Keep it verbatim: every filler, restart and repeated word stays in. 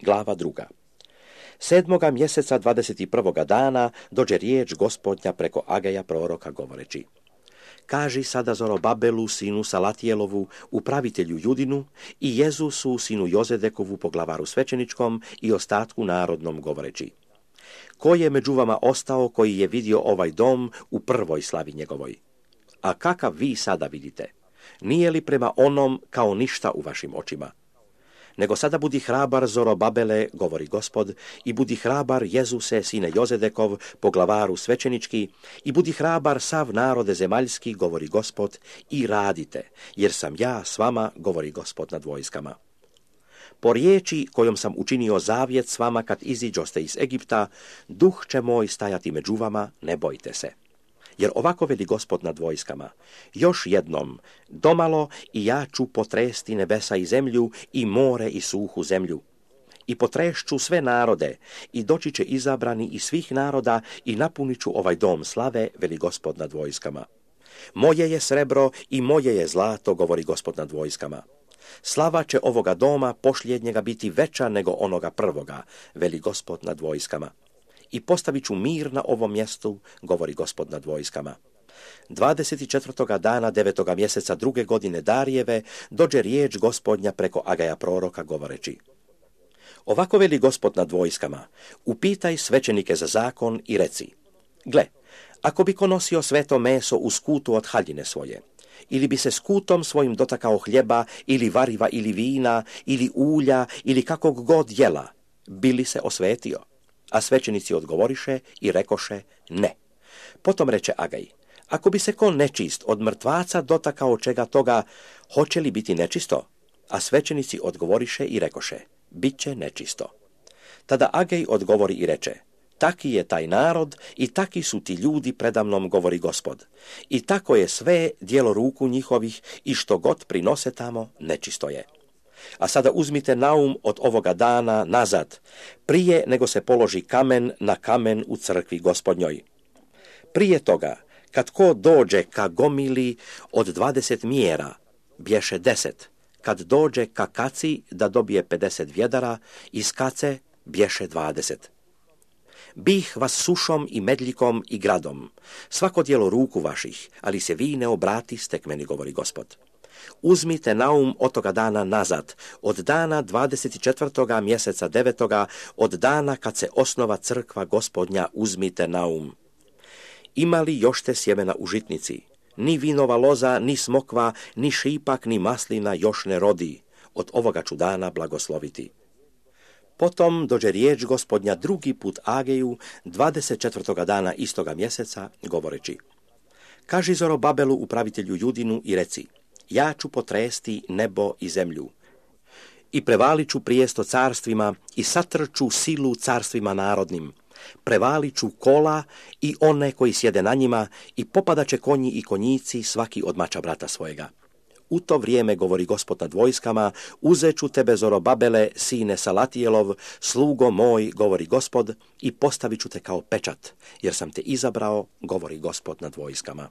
Glava druga. Sedmoga mjeseca dvadeset prvoga dana dođe riječ Gospodnja preko Ageja proroka govoreći: Kaži sada Zorobabelu, sinu Salatijelovu, upravitelju Judinu, i Jezusu, sinu Jozedekovu, poglavaru svećeničkom, i ostatku narodnom govoreći: Ko je među vama ostao koji je vidio ovaj dom u prvoj slavi njegovoj? A kakav vi sada vidite? Nije li prema onom kao ništa u vašim očima? Nego sada budi hrabar, Zorobabele, govori Gospod, i budi hrabar, Jezuse, sine Jozedekov, poglavaru svećenički, i budi hrabar, sav narode zemaljski, govori Gospod, i radite, jer sam ja s vama, govori Gospod nad vojskama. Po riječi kojom sam učinio zavjet s vama kad iziđoste iz Egipta, duh će moj stajati među vama, ne bojte se. Jer ovako veli Gospod nad vojskama: još jednom, domalo, i ja ću potresti nebesa i zemlju, i more i suhu zemlju. I potrešću sve narode, i doći će izabrani iz svih naroda, i napunit ću ovaj dom slave, veli Gospod nad vojskama. Moje je srebro i moje je zlato, govori Gospod nad vojskama. Slava će ovoga doma posljednjega biti veća nego onoga prvoga, veli Gospod nad vojskama. I postavit ću mir na ovom mjestu, govori Gospod nad vojskama. dvadeset četvrtoga dana devetoga mjeseca druge godine Darijeve dođe riječ Gospodnja preko Agaja proroka govoreći: Ovako veli Gospod nad vojskama: upitaj svećenike za zakon i reci: Gle, ako bi ko nosio sveto meso u skutu od haljine svoje, ili bi se skutom svojim dotakao hljeba, ili variva, ili vina, ili ulja, ili kakog god jela, bi li se osvetio? A svećenici odgovoriše i rekoše: ne. Potom reče Agaj: ako bi se ko nečist od mrtvaca dotakao čega toga, hoće li biti nečisto? A svećenici odgovoriše i rekoše: bit će nečisto. Tada Agaj odgovori i reče: taki je taj narod i taki su ti ljudi predamnom, govori Gospod. I tako je sve djelo ruku njihovih, i što god prinose tamo, nečisto je. A sada uzmite naum od ovoga dana nazad, prije nego se položi kamen na kamen u crkvi Gospodnjoj. Prije toga, kad ko dođe ka gomili od dvadeset mjera, bješe deset. Kad dođe ka kaci da dobije pedeset vjedara, iz kace bješe dvadeset. Bih vas sušom i medljikom i gradom, svako djelo ruku vaših, ali se vi ne obratiste k meni, govori Gospod. Uzmite naum od toga dana nazad, od dana dvadeset četvrtoga mjeseca devetoga, od dana kad se osnova crkva Gospodnja, uzmite naum. Ima li još te sjemena u žitnici? Ni vinova loza, ni smokva, ni šipak, ni maslina još ne rodi. Od ovoga ću dana blagosloviti. Potom dođe riječ Gospodnja drugi put Ageju, dvadeset četvrtoga dana istoga mjeseca, govoreći: kaži Zorobabelu, upravitelju Judinu, i reci: ja ću potresti nebo i zemlju, i prevalit ću prijesto carstvima, i satrču silu carstvima narodnim. Prevalit ću kola i one koji sjede na njima, i popadaće konji i konjici, svaki od mača brata svojega. U to vrijeme, govori Gospod nad vojskama, uzet ću tebe, Zorobabele, sine Salatijelov, slugo moj, govori Gospod, i postavit ću te kao pečat, jer sam te izabrao, govori Gospod nad vojskama.